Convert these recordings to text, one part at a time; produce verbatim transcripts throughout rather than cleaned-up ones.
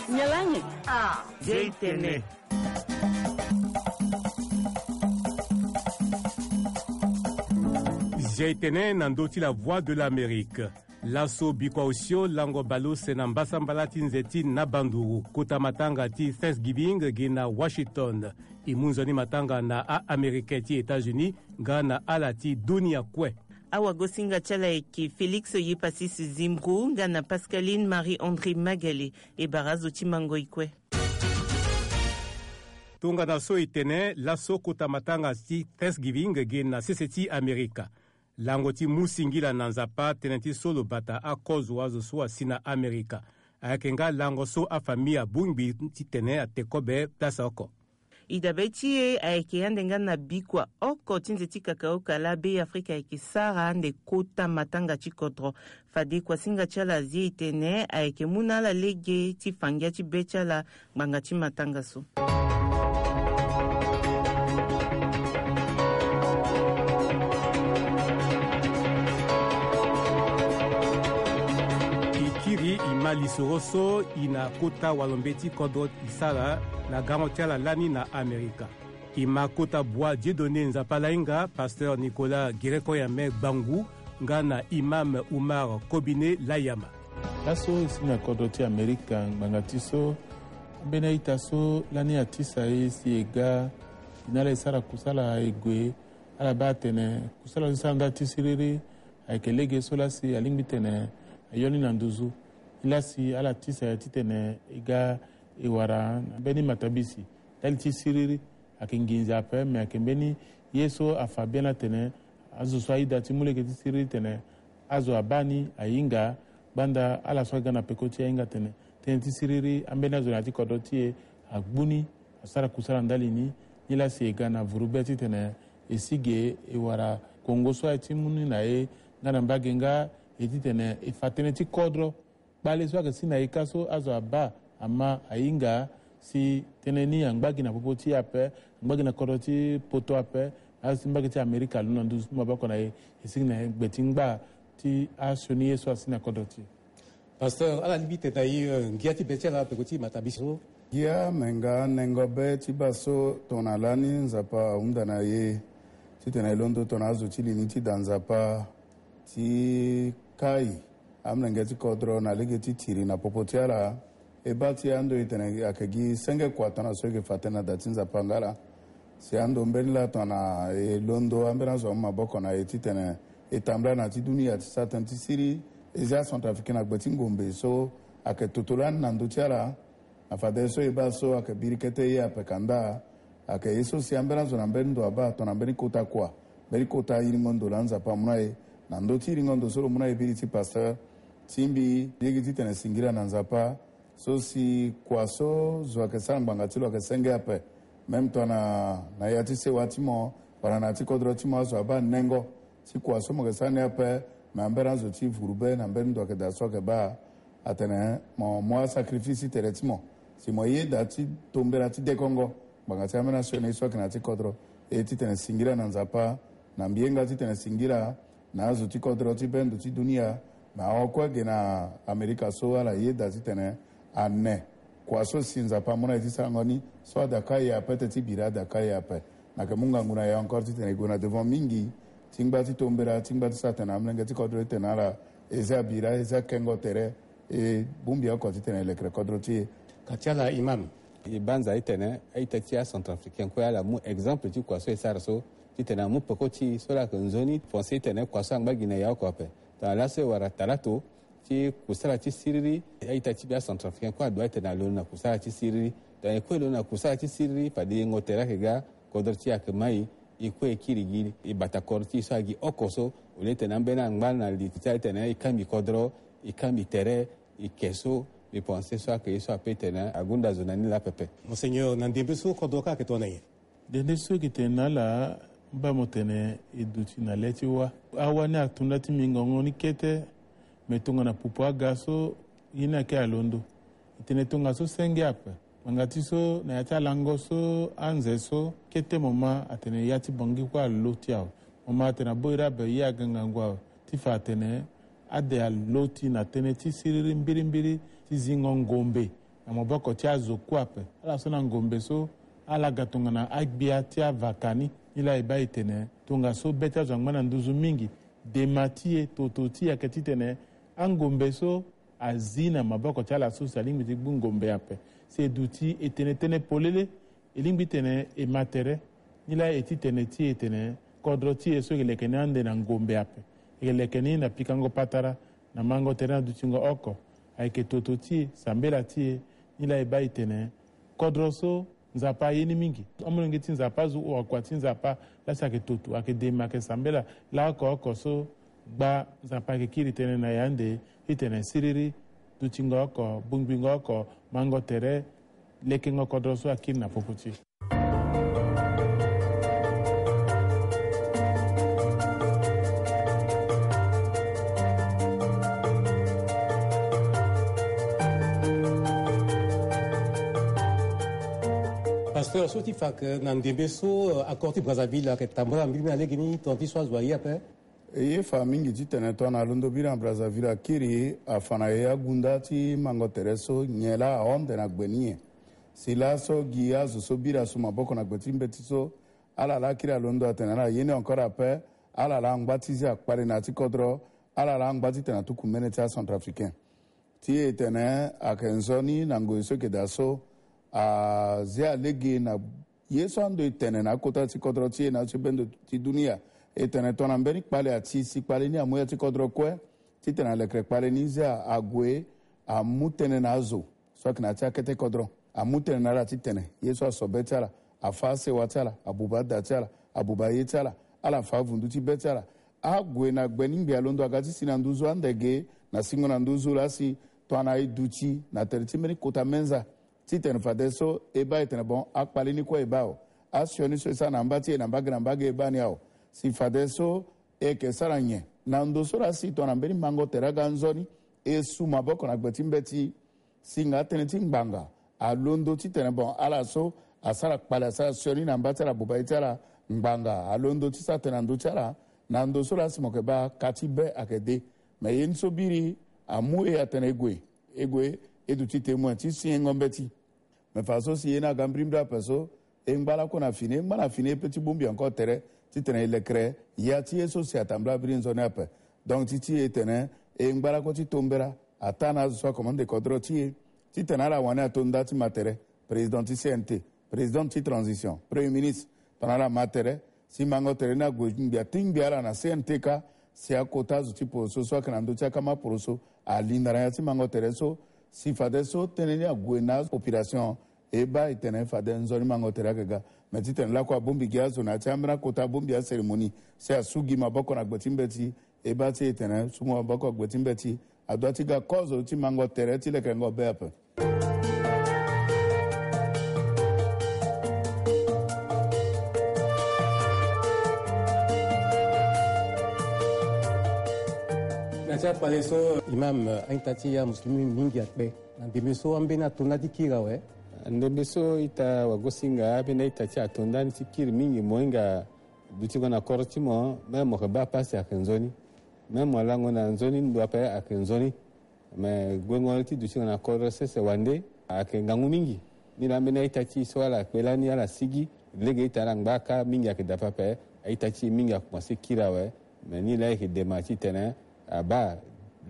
Nyalange. Ah, Zeitene. Zeitene na ndö ti la Voix de l'Amérique. Laso bikua osio lango baleuse na mbasambala ti nze ti Nabanduru, kota matanga ti Thanksgiving ge na Washington. E mu nzoni matanga na a-Américain ti États-Unis nga na ala ti dunia kue. Awagosinga ti ala ayeke Félix Yepasis Zimbrou nga na Pascaline Marie-André Magalé. E bara azo ti mango e kue. Tongana so e tene laso kota matanga ti Thanksgiving ge na sese ti Amerika. Lango ti mu singila na Nzapa tënë ti so lo bata akozo azo so asi na Amerika. Ayeke nga lango so afamille abongbi titene ate kobe place oko. E dabe ti e ayeke ande nga na bikua oko ti nze ti kakaoka laa Be Afrika ayeke sara ande kota matanga ti kodro. Fade kuasinga ti ala azi e tene ayeke mu na ala lege ti fa ngia ti be ti ala ngbanga ti matanga so. E kiri e ma lisoro so e na kota walo mbeti kodro e sara na gango ti ala lani na Amerika. E ma kota bua Dieudonné Nzapa Lainga, pasteur Nicolas Gireko Yame Gbangu, nga na imam Oumar Kobine Layama. Laso e si na kodro ti Amerika ngbanga ti so ambeni a-ita so lani atisa e si e ga. E na ala e sara kusala e gue. Ala baa atene kusala so e sara ndali ti siriri ayeke lege so lasi alingbi tene ayo ni na nduzu. Nilasi ala tisa e titene e ga e wara na mbeni matabisi ndali ti siriri. Ayeke nginza ape me ayeke mbeni ye so afa bien atene azo so ayeda ti mu lege ti siriri tene azo abaa ni ahinga. Gbanda ala so aga na peko ti e ahinga tene tënë ti siriri ambeni azo na ya ti kodro ti e agbu ni asara kusala ndali ni. Nilasi e ga na vuru be titene e si ge e wara kongo so aye ti mu ni na e nga na mbage nga e titene e fa tënë ti kodro. Kpale so ayeke si na e ka so azo abaa ama ahinga si tënë ni angba gi na popo ti e ape, angba gi na kodro ti poto ape. Azo ti mbage ti Amerika alondo na nduzu ti maboko na e e sigi na gbe ti ngba ti asioni ye so asi na kodro ti e. Pasteur, ala lingbi tene na e, eh, ngia ti be ti ala peko ti matabisi so. Ngia me nga nengo be ti baa so tongana lani Nzapa ahunda na e titene e londo tongana azo ti li ni ti da Nzapa ti kai amolenge ti kodro na lege ti tiri na popo ti ala. E baa ti e ando e tene ayeke gi senge kua tongana so e yeke fa tënë na da ti Nzapa nga laa. Si ando mbeni laa tongana e londo ambeni azo amu maboko na e titene e tambula na ya ti dunia ti sara tënë ti siriri. E zia Centrafricain na gbe ti ngombe so ayeke toto lani na ndö ti ala. Na fadeso e baa so ayeke biri kete ye ape ka ndaa. Ayeke ye so si ambeni azo na mbeni ndo abaa tongana mbeni kota kua, mbeni kota iringo ndo laa Nzapa amu na e na ndö ti iringo ndo so lo mu na e biri ti pasteur. Ti mbi lege titene singila na Nzapa so si kua so zo ayeke sara ngbanga ti lo ayeke senge ape. Même tongana na ya ti sewa ti mo wala na ya ti kodro ti mo azo abaa nengo ti kua so mo yeke sara ni ape. Me ambeni azo ti vuru be na mbeni ndo ayeke daa so ayeke baa atene mo mu asacrifice ti tere ti mo si mo yeda ti tombela ti dekongo ngbanga ti ambeni asioni so ayeke na ya ti kodro. E titene singila na Nzapa na mbi ye nga titene singila na azo ti kodro ti be ndo ti dunia. Me ahon kue ge na Amerika so ala yeda titene ane kua so si Nzapa amu na e ti sarango ni so ada kai e ape teti bira ada kai e ape. Na yeke mu ngangu na e encore titene e gue na devant mingi ti ngba ti tombela ti ngba ti sara tene amolenge ti kodro ti tene na ala e zia bira e zia kengo tere. E bongbi oko titene e lekere kodro ti e. Ka ti ala imam. E banza titene a-ita ti acentrafricain kue ala mu exemple ti kua so e sara so titene amu peko ti e so laa ayeke nzoni pensé titene kua so angba gi na e oko ape. Tongana laso e wara talato ti kusala ti siriri a-ita ti mbi acentrafricain kue adoit titene alondo na kusala ti siriri. Tongana e kue e londo na kusala ti siriri fade yengo tere ayeke ga kodro ti e ayeke mai. E kue e kiri gi e bata kodro ti e so agi oko so au lieu titene ambeni angba na li ti ala titene e kangbi kodro e kangbi tere e ke so. Mbi pense so ayeke ye so ape titene agonda zo na ni laa pepe. Monseigneur, na ndembe so kodro kâ ayeke tongana nyen? Dende so e yeke tene na ala, mba mo tene e duti na le ti wâ. Awâ ni ato nda ti mbi ngongo ni kete. Me tongana pupu aga so ye ni ayeke alondo. E tene tongaso senge ape. Ngbanga ti so na ya ti alango so anze so kete mo ma atene ya ti Bangui kue alo ti awe. Mo ma atene aboi rabe ye aga ngangu awe ti fa atene ade alo ti na tënë ti siriri mbirimbiri ti zingo ngombe na maboko ti azo kue ape. Ala so na ngombe so ala ga tongana agbia ti avaka ni. Nilaa e baa e tene tongaso be ti azo angba na nduzu mingi, dema ti e, toto ti e ayeke titene angombe so azi na maboko ti ala so si alingbi ti gbu ngombe ape. Si e duti e tene tënë polele, e lingbi titene e ma tere. Nilaa e ti tene ti e tene kodro ti e so e yeke leke ni ande na ngombe ape, e yeke leke ni na pikango patara, na mango tere na dutingo oko, ayeke toto ti e, sambela ti e. Nilaa e baa e tene kodro so Nzapa aye ni mingi. Amolenge ti Nzapa azo, wakua ti Nzapa laa si ayeke toto, ayeke dema, ayeke sambela laoko oko so gba Nzapa ayeke kiri tënë na e ande titene siriri dutingo oko, bongbingo oko, mango tere, lekengo kodro so akiri na popo ti e. Pasteur, so ti fa ayeke na ndembe so, euh, accord ti Brazzaville ayeke tambula mbirimbiri na legeni, tonga ti so azo aye ape? E ye fa mingi titene tongana londo biri na Brazzaville akiri, afa na e agunda ti mango tere so nyen laa ahon nde na gbe ni nyen. Si laso gi azo so bira su maboko na gbe ti mbeti so, ala laa akiri alondo atene ala ye ni encore ape. Ala laa angba ti zi akpale na ya ti kodro. Ala laa angba titene atuku mbeni ti acentrafricain. Ti e tene ayeke nzoni na ngoi so e yeke daa so, azi alege na ye so ando e tene na akota ti kodro ti e na azo ti bendo ti dunia. E tene tongana mbeni kpale ati si kpale ni amu ya ti kodro kue, titene alekere kpale ni zi ague amu tënë na azo so ayeke na ya ti akete kodro. Amu tënë na ala titene ye so aso be ti ala, afa asewa ti ala, abuba ada ti ala, abuba ye ti ala, ala fa avundu ti be ti ala. Ague na gbe ni ngbi alondo aga ti si na nduzu ande ge na singo na nduzu laa si tongana e duti na tere ti mbeni kota menza, titene fadeso e baa e tene bon, akpale ni kue e baa awe. Asioni so e sara na amba ti e na mbage na mbage e baa ni awe. Si fadeso e yeke sara nyen na ndo so laa si tongana mbeni mango tere aga nzoni, e su maboko na gbe ti mbeti, singa atënë ti ngbanga alondo titene bon, ala so asara kpale, asara sioni na mba ti ala, buba ye ti ala, ngbanga alondo ti sara tënë na ndö ti ala. Na ndo so laa si mo yeke baa ka ti be ayeke de. Me ye ni so biri amu e atene e gue, e gue, e duti témoin ti singo mbeti. Me fa so si ye ni aga mbirimbiri ape so, e ngba lakue na fini, e ngba na fini, e pe ti bongbi encore tere titene e lekere ya ti ye so si atambula biri nzoni ape. Donc ti ti e tene e ngba lakue ti tombela ataa na azo so akomande kodro ti e, titene ala wani ato nda ti ma tere, président ti C N T, président ti transition, premier ministre, tongana ala ma tere, si mango tere ni ague ngbia ti ngbia ala na C N T kâ, si akota azo ti poroso so ayeke na ndö ti akama poroso alinda na ya ti mango tere so, si fadeso tënë ni ague na apopulation. E baa e tene fade nzoni mango tere ayeke ga. Me titene lakue abongbi gi azo na ya ti ambeni akota bongbi acérémonie, si asu gi maboko na gbe ti mbeti. E baa ti e tene su maboko gbe ti mbeti adoit ti ga kozo ti mango tere ti lekerengo be ape. Na ti akpale so, imam, a-ita ti amuslimi mingi akpe. Na ndembe so ambeni ato nda ti kiri awe. Ndembe so ita wagosinga, ambeni a-ita ti e ato nda ni ti kiri mingi, mo hinga dutingo na kodro ti mo, même mo yeke baa pasi ayeke nzoni. Même mo lango na nzoni ndo ape ayeke nzoni. Me guengo ti dutingo na kodro sese wande ayeke ngangu mingi. Ni laa ambeni a-ita ti e so ala kpe lani, ala sigi, lege ita ala ngba kâ mingi ayeke daa pepe. A-ita ti e mingi akomanse kiri awe. Me ni laa e yeke dema titene abaa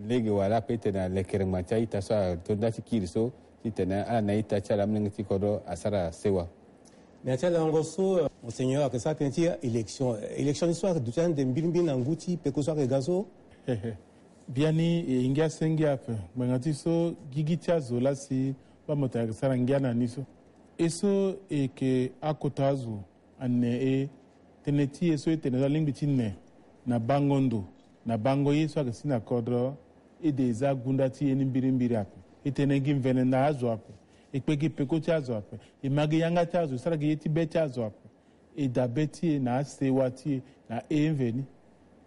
lege wala ape titene alekere ngba ti a-ita so ato nda ti kiri so, titene ala na a-ita ti ala, amolenge ti kodro asara sewa. Na ya ti alango so, euh, Monseigneur ayeke sara tënë ti élection. Élection ni so ayeke duti ande mbirimbiri na ngu ti peko so ayeke ga so. Biani e ngia senge ape ngbanga ti so gigi ti azo laa si baa mo tene ayeke sara ngia na ni so. E so e yeke akota azo, ane e tënë ti e so e tene so alingbi ti ne na bango ndo, na bango ye so ayeke si na kodro, e de e za gunda ti e ni mbirimbiri ape. E tene gi mvene na azo ape. E kpe gi peko ti azo ape. E ma gi yanga ti azo, e sara gi ye ti be ti azo ape. E dabe ti e na asewa ti e na e mveni.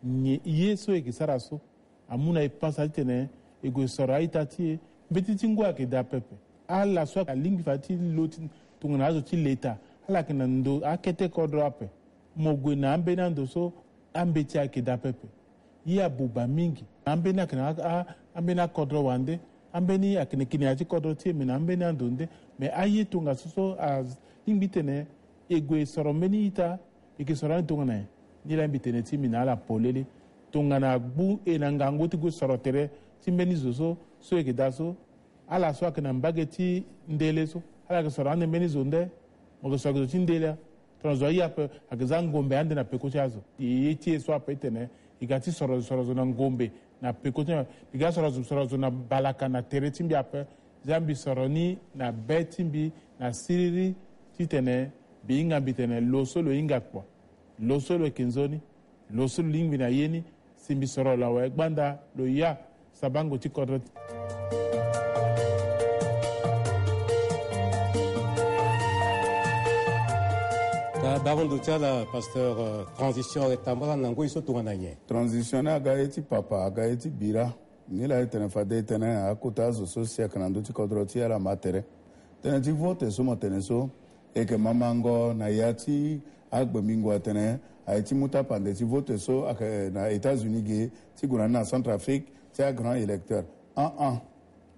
Nyen ye so e yeke sara so amu na e pasa titene e gue soro a-ita ti e? Mbeti ti ngu ayeke daa pepe. Ala so alingbi fade ti lo ti tongana azo ti leta, ala yeke na ndo akete kodro ape. Mo gue na ambeni ando so, ambeti ayeke daa pepe. Ye abuba mingi. Ambeni ayeke na a, a, ambeni akodro wande. Ambeni ayeke na kini ya ti kodro ti e me na ambeni ando nde. Me aye tongaso so alingbi titene e gue e soro mbeni ita, e yeke soro ande tongana nyen? Nilaa mbi tene ti mbi na ala polele. Tongana agbu e na ngangu ti gue soro tere ti mbeni zo so, so e yeke daa so, ala so ayeke na mbage ti ndele so, ala yeke soro ande mbeni zo nde. Mo yeke soro zo ti ndele. Tongana zo aye ape, ayeke za ngombe ande na peko ti azo. E ye ti e so ape titene e ga ti soro zo, soro zo na ngombe na peko ti, e ga soro zo, soro zo na balaka na tere ti mbi ape. Za mbi soro ni na be ti mbi na siriri titene mbi hinga mbi tene lo so lo hinga kua, lo so lo yeke nzoni, lo so lo lingbi na ye ni, si mbi soro lo awe gbanda lo ya sabango ti kodro. Tabaro ndo ti ala, pasteur, euh, transition ayeke tambala na ngoi so tongana nyen? Transition ni aga ye ti papa, aga ye ti bira. Nilaa e tene fade e tene akota azo so si ayeke na ndö ti kodro ti ala ma tere. Tënë ti vote so mo tene so, e yeke mamango na ya ti agbengbingo atene aye ti mu tapande ti vote so ayeke na États-Unis ge ti gue na ni na Centrafrique ti agrand électeur. An an.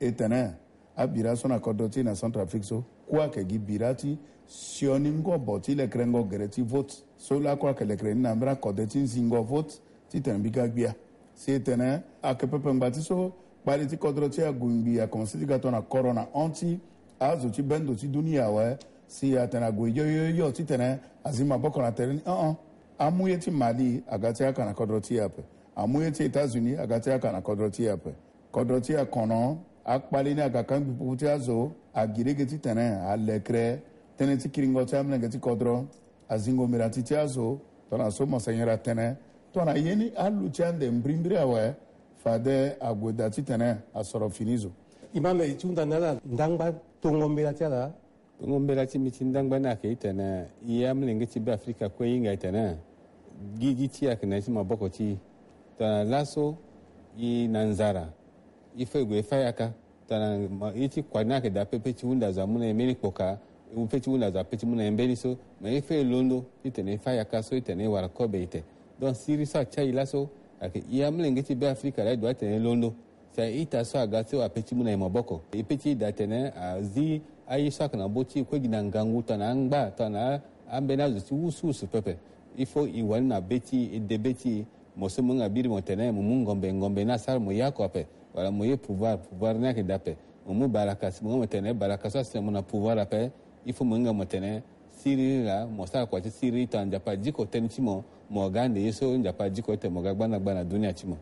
E tene abira so na kodro ti e na Centrafrique so kue ayeke gi bira ti sioni ngobo ti lekerengo gere ti vote. So lakue ayeke lekere ni na mbeni akode ti nzingo vote titene mbi ga gbia. Si e tene ayeke pepe ngbanga ti so kpali ti kodro ti e ague ngbii akomanse ti ga tongana koro na hon ti azo ti bendo ti dunia awe. Si atene ague yo yo yo titene azi maboko na tere ni, an an. Amu ye ti Mali aga ti haka na kodro ti e ape. Amu ye ti États-Unis aga ti haka na kodro ti e ape. Kodro ti e akono, akpali ni aga kangbi pupu ti azo, agi lege titene alekere tënë ti kiringo ti amolenge ti kodro. Azingo mira ti ti azo, tongana so monseigneur atene, tongana ye ni aluti ande mbirimbiri awe, fade ague daa titene asoro fini zo. Imam, e ti hunda na ala ndangba tongo mbela ti ala. Tongo mbela ti mbi ti ndangba ni ayeke titene, e amolenge ti Beafrika kue e hinga e tene, gigi ti e ayeke na ya ti maboko ti e. Tongana laso e na nzara, il faut e gue e fâ yaka. Tongana ma, ye ti kua ni ayeke daa pepe ti hunda zo amu na e mbeni kpoka, pepe ti hunda zo apeut ti mu na e mbeni so. Mais il faut e londo titene e fâ yaka so titene e wara kobe ete. Donc siriri so atia e laso ayeke e amolenge ti Beafrika laa e doit titene e londo. Si a-ita so aga so apeut ti mu na e maboko, e peut ti daa tene azi aye so ayeke na bô ti e kue gi na ngangu tongana angba tongana ambeni azo ti wusuwusu pepe. Il faut e wani na be ti e, e de be ti e. Mo so mo hinga biri mo tene mo mu ngombe, ngombe ni asara mo ye oko ape. Wala mo ye pouvoir, pouvoir ni ayeke daa ape. Mo mu balaka, si mo hinga mo tene balaka so asi na mo na pouvoir ape, il faut mo hinga mo tene siriri laa mo sara kua ti siriri tongana Nzapa adiko tënë ti mo, mo ga ande ye so Nzapa adiko titene mo ga gbanda gbanda na dunia ti mo.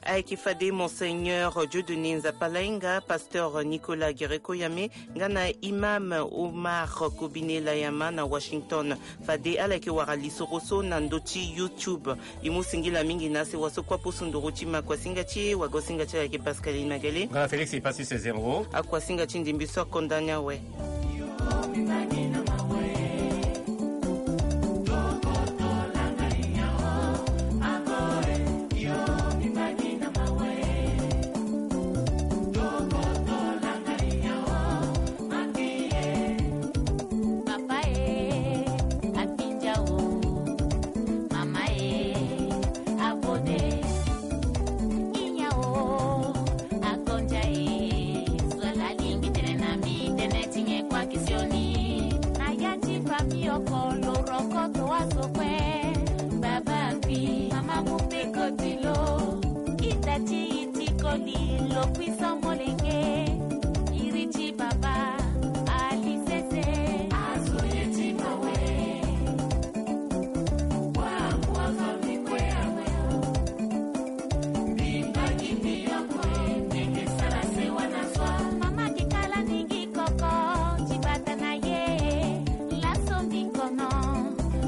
Ayeke fade Monseigneur Dieudonné Nzapalainga, pasteur Nicolas Guereko Yame, nga na Imam Omar Kobine Layama na Washington. Fade ala yeke wara lisoro so na ndö ti YouTube. E mu singila mingi na sewa so kue apusu nduru ti makuasinga ti e, wagosinga ti ala ayeke Pascaline Magele. Nga na Félix Ipasi Césaire. Akuasinga ti ndimbi so akonda ni awe. Papa e, apinja o. Mama e, abode. Inya o, akonja e. Zo ala lingbi tene na mbi tene ti nyen kua kisioni. Na ya ti famille oko lo rokoto azo kue. Baba akui, mama mu peko ti lo. Ita ti Ti koli lo kui so molenge, iri ti baba, ali sese. Azo ye ti mawe. Wa, wa, zo mi kue awe o. Mbi mbagi mbi yoko e, ndenge sara sewa na swa. Mama ki kala ni ngi koko, ti bata na ye. Laso mbi kono,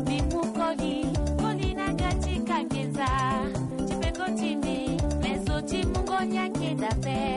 mbi mu koli, koli na ga ti kangenza. Ti peko ti mbi, me zo ti mungo ni ayeke daa pe.